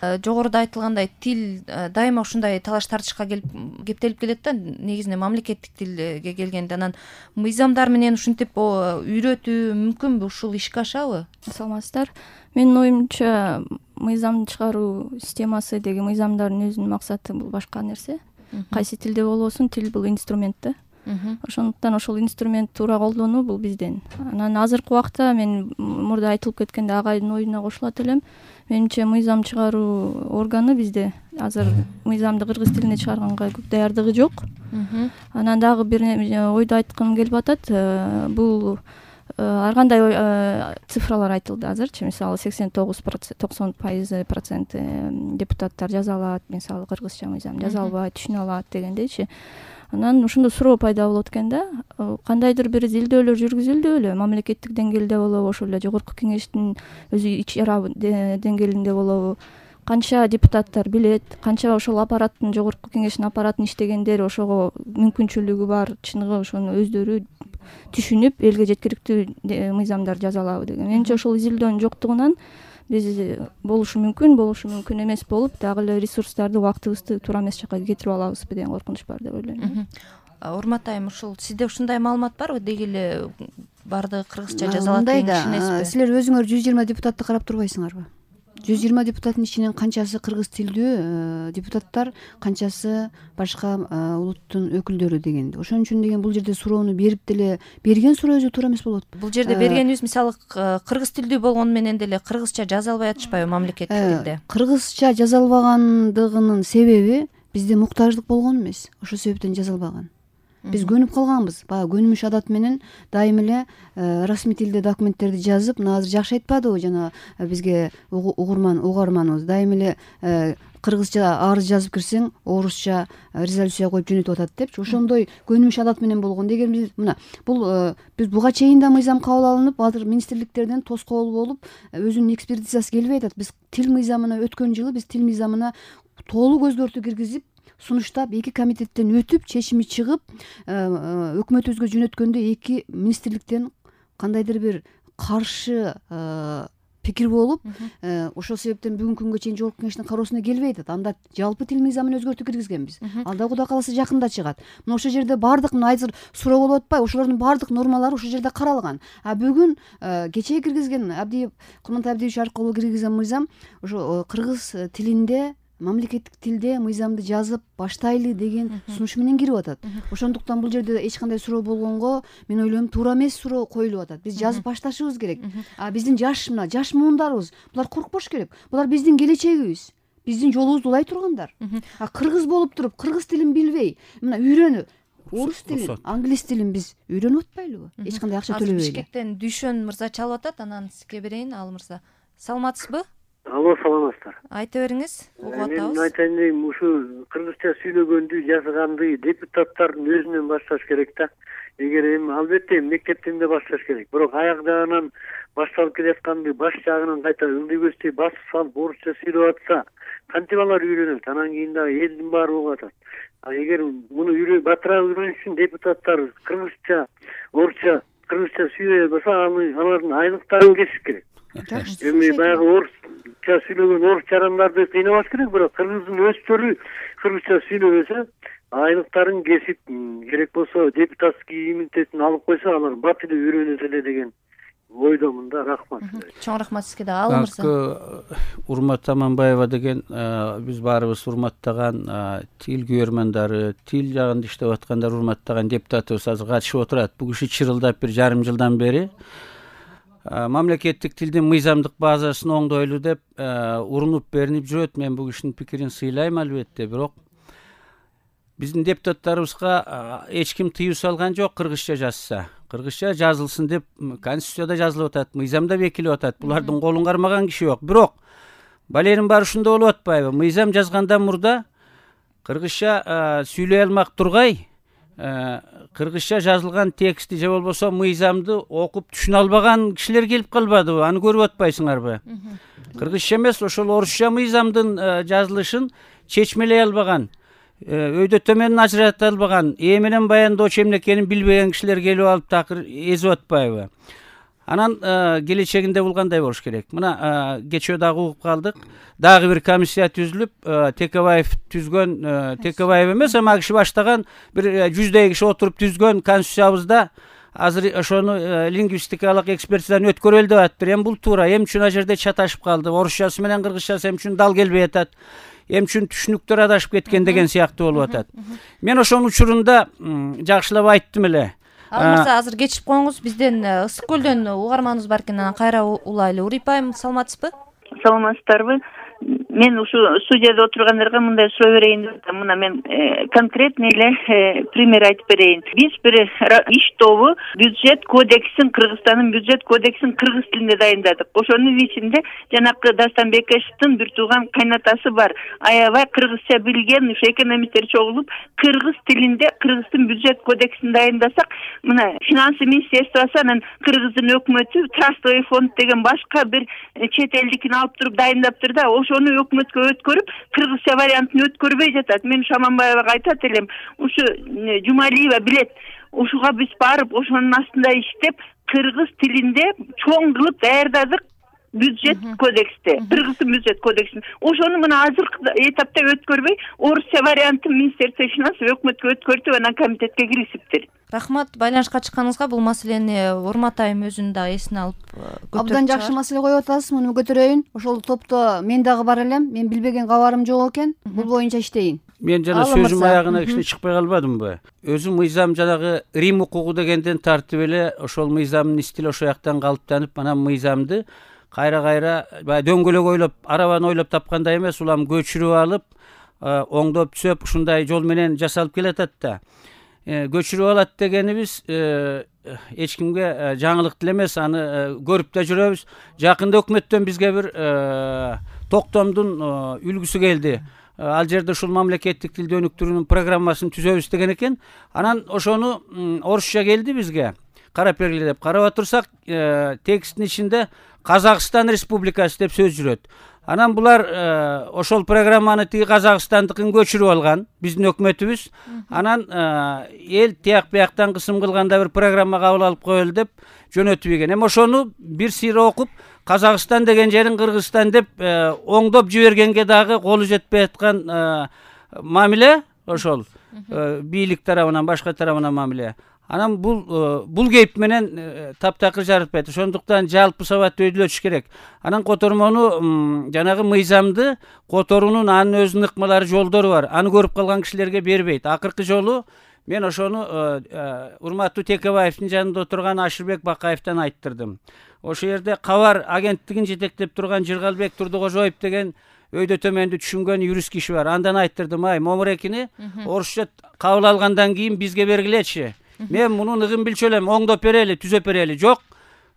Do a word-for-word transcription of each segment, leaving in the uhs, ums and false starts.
Жогоруда айтылгандай тил дайыма ушундай талаш тартышка келип кептелип келет да, негизинен мамлекеттик тилге келгенде. Анан мыйзамдар менен ушинтип үйрөтүү мүмкүнбү, ушул ишке ашабы? Саламатсыздар. Менин оюмча мыйзам чыгаруу системасы деген мыйзамдардын өзүнүн максаты бул башка нерсе. Кайсы тилде болбосун, тил бул инструмент да. Ошондуктан ошол инструмент туура колдонуу бул бизден. Анан азыркы убакта мен мурда айтылып кеткенде агайдын оюна кошулат элем. Менимче мыйзам чыгаруу органы бизде азыр мыйзамды кыргыз тилинде чыгарганга көп даярдыгы жок. Анан дагы бир ойду айткым келип атат. Бул ар кандай цифралар айтылды азырчы. Мисалы сексен тогуз токсон пайыз процент депутаттар жаза алат, мисалы кыргызча мыйзам жаза албайт, түшүнө алат дегендейчи. Анан ошондо суроо пайда болот экен да. Кандайдыр бир изилдөөлөр жүргүзүлдүбү? Мамлекеттик деңгээлде болобу, ошол эле жогорку кеңештин өзү ич ара деңгээлинде болобу? Канча депутаттар билет, канча ошол аппараттын, жогорку кеңештин аппаратын иштегендер ошого мүмкүнчүлүгү бар, чыныгы ошону өздөрү түшүнүп элге жеткиликтүү мыйзамдар жаза алабы деген. Менимче ошол изилдөөнүн жоктугунан биз болушу мүмкүн, болушу мүмкүн эмес болуп, дагы эле ресурстарды, убактыбызды туура эмес жакка кетирип алабызбы деген коркунуч бар деп ойлойм. Урмат айым, ушул сизде ушундай маалымат барбы? Деги эле баардыгы кыргызча жаза алат деген ишенесизби? Силер өзүңөр жүз жыйырма депутатты карап турбайсыңарбы? жүз жыйырма депутаттын ичинен канчасы кыргыз тилдүү депутаттар, канчасы башка улуттун өкүлдөрү дегенди. Ошон үчүн деген бул жерде суроону берип деле берген суроо өзү туура эмес болот. Бул жерде бергенибиз мисалы кыргыз тилдүү болгону менен деле кыргызча жаза албай атышпайбы мамлекеттик тилде? Кыргызча жаза албагандыгынын себеби бизде муктаждык болгон эмес. Ошол себептен жаза албаган. Биз көнүп калганбыз. Баягы көнүмүш адат менен дайым эле расмий тилде документтерди жазып, мына азыр жакшы айтпадыбы жана бизге угурман угарманыбыз дайым эле кыргызча арыз жазып кирсең, орусча резолюция коюп жөнөтүп атат депчи. Ошондой көнүмүш адат менен болгон. Деген биз мына бул биз буга чейин да мыйзам кабыл алынып, азыр министрликтерден тоскоол болуп, өзүнүн экспертизасы келбей атат. Биз тил мыйзамына өткөн жылы биз тил мыйзамына толук өзгөртүү киргизип, сунуштап, эки комитеттен өтүп, чечими чыгып, өкмөтүбүзгө жөнөткөндө эки министрликтен кандайдыр бир каршы пикир болуп, ошол себептен бүгүнкү күнгө чейин жогорку кеңештин кароосуна келбей атат. Анда жалпы тил мыйзамын өзгөртүү киргизгенбиз. Ал да Кудай кааласа жакында чыгат. Мына ошол жерде баардык мына азыр суроо болуп атпайбы? Ошолордун баардык нормалары ошол жерде каралган. А бүгүн кечээ киргизген Абдиев, Курмантай Абдиевич аркылуу киргизген мыйзам ошо кыргыз тилинде, мамлекеттик тилде мыйзамды жазып баштайлы деген сунуш менен кирип атат. Ошондуктан бул жерде эч кандай суроо болгонго мен ойлойм туура эмес суроо коюлуп атат. Биз жазып башташыбыз керек. А биздин жаш мына жаш муундарыбыз булар коркпош керек. Булар биздин келечегибиз. Биздин жолубузду улай тургандар. А кыргыз болуп туруп, кыргыз тилин билбей, мына үйрөнүп, орус тилин, англис тилин биз үйрөнүп атпайлыбы? Эч кандай акча төлөбөй эле. Бишкектен Дүйшөн мырза чалып атат, анан сизге берейин, ал мырза. Саламатсызбы? Алло, саламатсыздар. Айта бериңиз, угуп атабыз. Мен айтайын дегем, ушу кыргызча сүйлөгөндү, жазганды депутаттардын өзүнөн башташ керек да. Эгер эми албетте мектеп тилинде башташ керек. Бирок аяк жагынан башталып келатканды баш жагынан кайта ылдый көздөй басып салып орусча сүйлөп атса, кантип алар үйрөнөт? Анан кийин дагы элдин баары угуп атат. А эгер муну батыраак үйрөнүш үчүн депутаттар кыргызча, орусча, кыргызча сүйлөй алса, алардын айлыктарын кесиш керек. Эми баягы орусча сүйлөгөн орус жарандарды кыйнабаш керек, бирок кыргыздын өздөрү кыргызча сүйлөбөсө, айлыктарын кесип, керек болсо депутатский иммунитетин алып койсо, алар бат эле үйрөнөт эле деген ойдомун да. Рахмат. Чоң рахмат сизге да. Ал мырза. Урмат Аманбаева деген биз баарыбыз урматтаган тил күйөрмандары, тил жагында иштеп аткандар урматтаган депутатыбыз азыр катышып отурат. Бул киши чырылдап бир жарым жылдан бери мамлекеттик тилдин мыйзамдык базасын оңдойлу деп урунуп беринип жүрөт. Мен бул кишинин пикирин сыйлайм албетте, бирок биздин депутаттарыбызга эч ким тыюу салган жок кыргызча жазса. Кыргызча жазылсын деп конституцияда жазылып атат, мыйзамда бекилип атат. Булардын колун кармаган киши жок. Бирок баленин баары ушунда болуп атпайбы? Мыйзам жазгандан мурда кыргызча сүйлөй алмак тургай, кыргызча жазылган текстти же болбосо мыйзамды окуп түшүнө албаган кишилер келип калбадыбы? Аны көрүп атпайсыңарбы? Кыргызча эмес, ошол орусча мыйзамдын жазылышын чечмелей албаган, өйдө төмөнүн ажырата албаган, ээ менен баяндоочу эмне экенин билбеген кишилер келип алып такыр эзип атпайбы? Анан келечегинде бул кандай болуш керек? Мына кечээ дагы угуп калдык. Дагы бир комиссия түзүлүп, Текебаев түзгөн, Текебаев эмес, ама киши баштаган бир жүздөй киши отуруп түзгөн конституциябызда азыр ошону лингвистикалык экспертизадан өткөрөлү деп атыптыр. Эми бул туура. Эмне үчүн ал жерде чаташып калды? Орусчасы менен кыргызчасы эмне үчүн дал келбей атат? Эмне үчүн түшүнүктөр адашып кеткен деген сыяктуу болуп атат. Мен ошонун учурунда жакшылап айттым эле. Ал мырза, азыр кечип коюңуз, бизден Ысык көлдөн угарманыбыз бар экен, анан кайра улайлы. Урипа айым, саламатсызбы? Саламатсыздарбы? Мен ушу студияда отургандарга мындай суроо берейин деп атам. Мына мен конкретный эле пример айтып берейин. Биз бир иш тобу бюджет кодексин, Кыргызстандын бюджет кодексин кыргыз тилинде дайындадык. Ошонун ичинде жанакы Дастан Бекешевдин бир тууган кайнатасы бар. Аябай кыргызча билген ушу экономисттер чогулуп, кыргыз тилинде Кыргыздын бюджет кодексин дайындасак, мына финансы министерствосу анан Кыргыздын өкмөтү трастовый фонд деген башка бир чет элдикин алып туруп дайындаптыр да, ошону өкмөткө өткөрүп, кыргызча вариантын өткөрбөй жатат. Мен Шаманбаевага айтат элем, ушу Жумалиева билет. Ушуга биз барып, ошонун астында иштеп, кыргыз тилинде чоң кылып даярдадык бюджет кодексте, Кыргыздын бюджет кодексин. Ошону мына азыркы этапта өткөрбөй, орусча вариантын министерство финансов өкмөткө өткөртүп, анан комитетке киришиптир. Рахмат, байланышка чыкканыңызга. Бул маселени Урмат айым өзүн дагы эсине алып көтөрүп Абдан жакшы маселе коюп атасыз, муну көтөрөйүн. Ошол топто мен дагы бар элем. Мен билбеген кабарым жок экен. Бул боюнча иштейин. Мен жана сөзүм аягына кичине чыкпай калбадымбы? Өзүм мыйзам жанагы Рим укугу дегенден тартып эле ошол мыйзамдын стили ошол жактан калыптанып, анан мыйзамды кайра-кайра баягы дөңгөлөк ойлоп, арабаны ойлоп тапкандай эмес, улам көчүрүп алып, оңдоп түзөп, ушундай жол менен жасалып келатат да. Көчүрүп алат дегенибиз эч кимге жаңылык деле эмес, аны көрүп да жүрөбүз. Жакында өкмөттөн бизге бир токтомдун үлгүсү келди. Ал жерде ушул мамлекеттик тилди өнүктүрүүнүн программасын түзөбүз деген экен. Анан ошону орусча келди бизге. Карап бергиле деп карап отурсак, тексттин ичинде Казакстан Республикасы деп сөз жүрөт. Анан булар ошол программаны тиги Казакстандыкын көчүрүп алган, биздин өкмөтүбүз. Анан эл тияк бияктан кысым кылганда бир программа кабыл алып коелу деп жөнөтүп ийген. Эми ошону бир сыйра окуп, Казакстан деген жерин Кыргызстан деп оңдоп жибергенге дагы колу жетпей аткан мамиле ошол. Бийлик тарабынан, башка тарабынан мамиле. Анан бул бул кейп менен таптакыр жарытпайт. Ошондуктан жалпы сабатты өйдөлөтүш керек. Анан котормону жанагы мыйзамды которуунун анын өзүнүн ыкмалары, жолдору бар. Аны көрүп калган кишилерге бербейт. Акыркы жолу мен ошону урматтуу Текебаевдин жанында отурган Ашырбек Бакаевден айттырдым. Ошол жерде кабар агенттигин жетектеп турган Жыргалбек Турдукожоев деген өйдө төмөндү түшүнгөн юрист киши бар. Андан айттырдым, ай, момурекини орусча кабыл алгандан кийин бизге бергилечи. Мен мунун ыгын билчү элем, оңдоп берели, түзөп берели. Жок,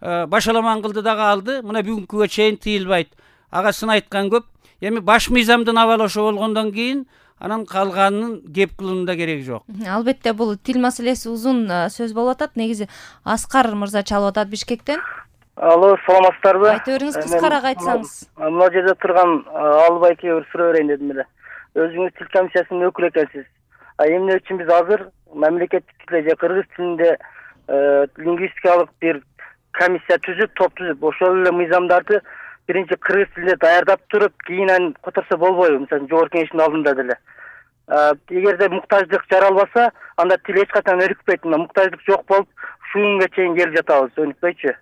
башаламан кылды дагы алды. Мына бүгүнкүгө чейин тыйылбайт. Агасын айткан көп. Эми баш мыйзамдын абалы ошо болгондон кийин анан калганын кеп кылуунун да кереги жок. Албетте бул тил маселеси узун сөз болуп атат. Негизи Аскар мырза чалып атат Бишкектен. Алло, саламатсыздарбы? Айта бериңиз, кыскараак айтсаңыз. Мына жерде турган Албайке бир суроо берейин дедим эле. Өзүңүз тил комиссиясынын өкүлү экенсиз. А эмне үчүн биз азыр мамлекеттик тилде же кыргыз тилинде лингвистикалык бир комиссия түзүп, топ түзүп, ошол эле мыйзамдарды биринчи кыргыз тилинде даярдап туруп, кийин аны которсо болбойбу? Мисалы, жогорку кеңештин алдында деле. Эгерде муктаждык жаралбаса, анда тил эч качан өнүкпөйт. Муктаждык жок болуп, ушул күнгө чейин келип жатабыз, өнүкпөйчү.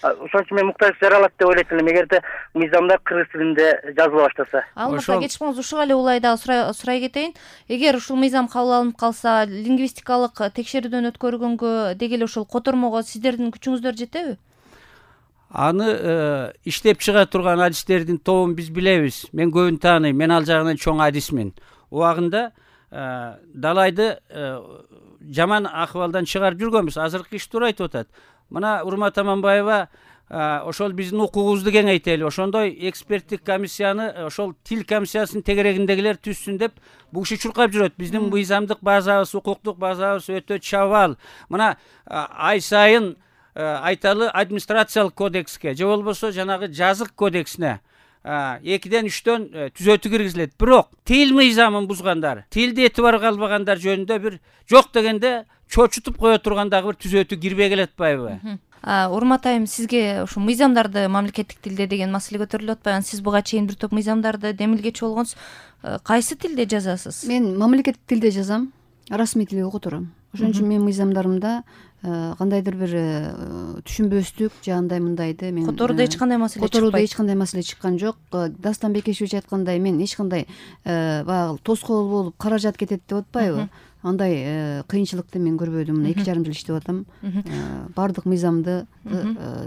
Ошон үчүн мен муктаждык жаралат деп ойлойт элем, эгерде мыйзамда кыргыз тилинде жазыла баштаса. Алмаса кечип коңуз, ушуга эле улай дагы сурай кетейин. Эгер ушул мыйзам кабыл алынып калса, лингвистикалык текшерүүдөн өткөргөнгө деги эле ушул котормого сиздердин күчүңүздөр жетеби? Аны иштеп чыга турган адистердин тобун биз билебиз. Мен көбүн тааныйм. Мен ал жагынан чоң адисмин. Убагында далайды жаман акыбалдан чыгарып жүргөнбүз. Азыркы иш туура айтып атат. Мына Урмат Аманбаева ошол биздин укугубузду кеңейтели, ошондой эксперттик комиссияны ошол тил комиссиясынын тегерегиндегилер түзсүн деп бул киши чуркап жүрөт. Биздин мыйзамдык базабыз, укуктук базабыз өтө чабал. Мына ай сайын айталы администрациялык кодекске же болбосо жанагы жазык кодексине экиден үчтөн түзөтүү киргизилет. Бирок тил мыйзамын бузгандар, тилди этибарга албагандар жөнүндө бир жок дегенде чочутуп кое турган дагы бир түзөтүү кирбей келатпайбы? Урмат айым, сизге ушу мыйзамдарды мамлекеттик тилде деген маселе көтөрүлүп атпайбы? Сиз буга чейин бир топ мыйзамдарды демилгечи болгонсуз. Кайсы тилде жазасыз? Мен мамлекеттик тилде жазам, расмий тилге котором. Ошон үчүн менин мыйзамдарымда кандайдыр бир түшүнбөстүк же андай мындайды мен которууда эч кандай маселе чыкпайт. Которууда эч кандай маселе чыккан жок. Дастан Бекешевич айткандай, мен эч кандай баягы тоскоол болуп каражат кетет деп атпайбы? Андай кыйынчылыкты мен көрбөдүм. Мына эки жарым жыл иштеп атам. Баардык мыйзамды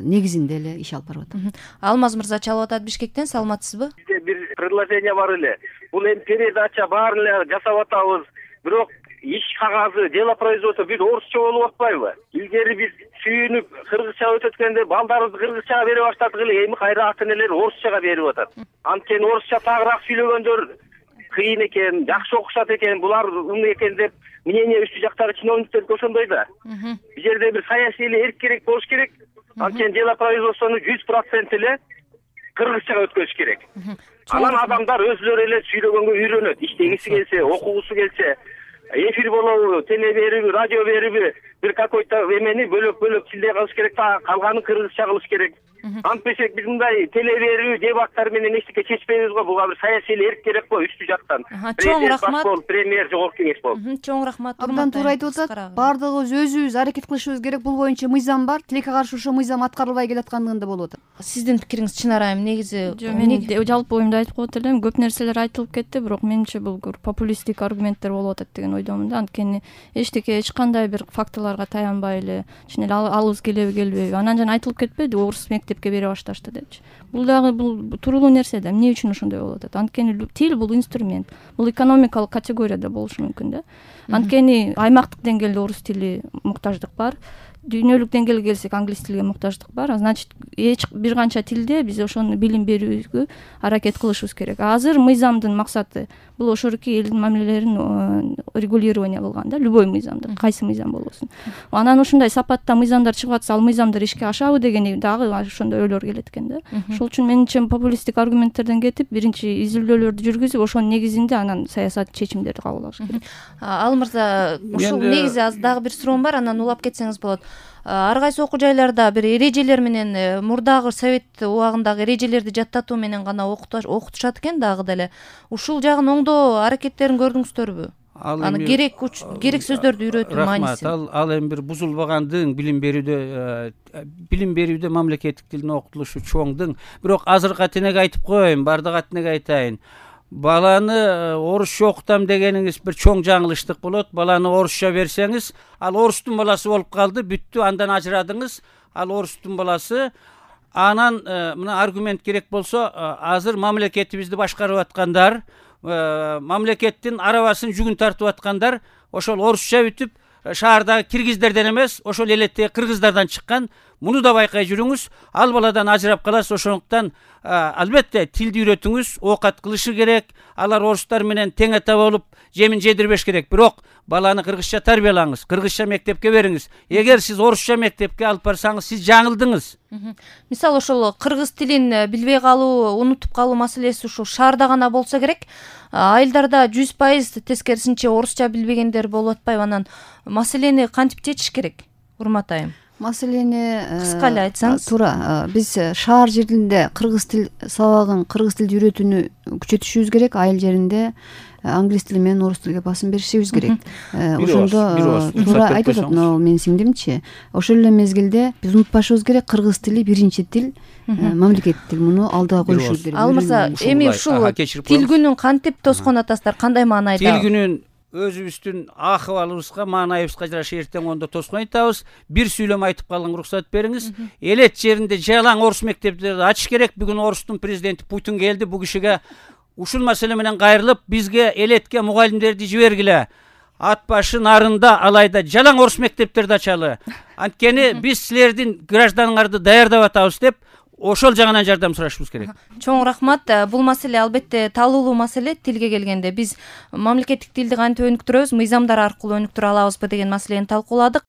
негизинде эле иш алып барып атам. Алмаз мырза чалып атат Бишкектен, саламатсызбы? Бизде бир предложение бар эле. Бул эми передача баарын эле жасап атабыз. Бирок иш кагазы, дело производства бир орусча болуп атпайбы? Илгери биз сүйүнүп кыргызча өтөткөндө балдарыбызды кыргызчага бере баштадык эле, эми кайра ата энелер орусчага берип атат. Анткени орусча тагыраак сүйлөгөндөр кыйын экен, жакшы окушат экен, булар умун экен деп мнение үстү жактагы чиновниктердики ошондой да. Бул жерде бир саясий эле эрк керек болуш керек. Анткени дело производствону жүз процент эле кыргызчага өткөзүш керек. Анан адамдар өзүлөрү эле сүйлөгөнгө үйрөнөт. Иштегиси келсе, окугусу келсе, эфир болобу, теле бериби, радио бериби, бир какой-то эмени бөлөк-бөлөк тилде кылыш керек да, калганын кыргызча кылыш керек. Антпесек биз мындай теле берүү, дебаттар менен эчтеке чечпейбиз го. Буга бир саясий эрк керек го үстү жактан. Чоң рахмат. Премьер, жогорку кеңеш болуп. Чоң рахмат. Абдан туура айтып атат. Баардыгыбыз өзүбүз аракет кылышыбыз керек. Бул боюнча мыйзам бар. Тилекке каршы ошо мыйзам аткарылбай келаткандыгында болуп атат. Сиздин пикириңиз Чынар айым, негизи мен жалпы оюмду айтып коет элем. Көп нерселер айтылып кетти, бирок менимче бул популисттик аргументтер болуп атат деген ойдомун да. Анткени эчтеке эч кандай бир фактыларга таянбай эле чын эле алыбыз келеби келбейби. Анан жана айтылып кетпеди, орус мектепке бере башташты депчи. Бул дагы бул туруктуу нерсе да. Эмне үчүн ошондой болуп атат? Анткени тил бул инструмент. Бул экономикалык категорияда болушу мүмкүн да. Анткени аймактык деңгээлде орус тили муктаждык бар. Дүйнөлүк деңгээлге келсек англис тилге муктаждык бар. Значит, эч бир канча тилде биз ошону билим берүүгө аракет кылышыбыз керек. Азыр мыйзамдын максаты бул ошорки элдин мамилелерин регулирование кылган да, любой мыйзамды, кайсы мыйзам болбосун. Анан ушундай сапатта мыйзамдар чыгып атса, ал мыйзамдар ишке ашабы дегени дагы ошондой ойлор келет экен да. Ошол үчүн менимче популисттик аргументтерден кетип, биринчи изилдөөлөрдү жүргүзүп, ошонун негизинде анан саясат чечимдерди кабыл алыш керек. Ал мырза, ушул негизи аз дагы бир суроом бар, анан улап кетсеңиз болот. Ар кайсы окуу жайларда бир эрежелер менен мурдагы совет убагындагы эрежелерди жаттатуу менен гана окутушат экен дагы деле. Ушул жагын оңдоо аракеттерин көрдүңүздөрбү? Аны керек керек сөздөрдү үйрөтүү маанисин. Ал ал эми бир бузулбагандыгын билим берүүдө билим берүүдө мамлекеттик тилдин окутулушу чоңдуң. Бирок азыркы атенеге айтып коеюн, бардык атенеге айтайын. Баланы орусча окутам дегениңиз бир чоң жаңылыштык болот. Баланы орусча берсеңиз, ал орустун баласы болуп калды, бүттү, андан ажырадыңыз. Ал орустун баласы. Анан мына аргумент керек болсо, азыр мамлекетибизди башкарып аткандар, мамлекеттин арабасын жүгүн тартып аткандар ошол орусча бүтүп, шаардагы киргиздерден эмес, ошол элеттеги кыргыздардан чыккан. Муну да байкай жүрүңүз. Ал баладан ажырап каласыз. Ошондуктан албетте тилди үйрөтүңүз, оокат кылышы керек. Алар орустар менен тең ата болуп, жемин жедирбеш керек. Бирок баланы кыргызча тарбиялаңыз, кыргызча мектепке бериңиз. Эгер сиз орусча мектепке алып барсаңыз, сиз жаңылдыңыз. Мисалы ошол кыргыз тилин билбей калуу, унутуп калуу маселеси ушул шаарда гана болсо керек. Айылдарда жүз пайыз тескерисинче орусча билбегендер болуп атпайбы? Анан маселени кантип чечиш керек, Урмат айым? Маселени кыска эле айтсаңыз. Туура. Биз шаар жеринде кыргыз тил сабагын, кыргыз тилди үйрөтүүнү күчөтүшүбүз керек. Айыл жеринде англис тили менен орус тилге басым беришибиз керек. Ошондо туура айтып атат, но менин сиңдимчи, ошол эле мезгилде биз унутпашыбыз керек, кыргыз тили биринчи тил, мамлекеттик тил. Муну алдыга коюшубуз керек. Ал мырза, эми ушул тил күнүн кантип тоскон атасыздар? Кандай маанайда? Тил күнүн өзүбүздүн акыбалыбызга, маанайыбызга жараша эртең ондо тоскон айтабыз. Бир сүйлөм айтып калган уруксат бериңиз. Элет жеринде жалаң орус мектептерди ачыш керек. Бүгүн Орустун президенти Путин келди. Бу кишиге ушул маселе менен кайрылып, бизге элетке мугалимдерди жибергиле. Ат башы нарында алайда жалаң орус мектептерди ачалы. Анткени биз силердин гражданыңарды даярдап атабыз деп ошол жагынан жардам сурашыбыз керек. Чоң рахмат. Бул маселе албетте талуулуу маселе. Тилге келгенде биз мамлекеттик тилди кантип өнүктүрөбүз, мыйзамдар аркылуу өнүктүрө алабызбы деген маселени талкууладык.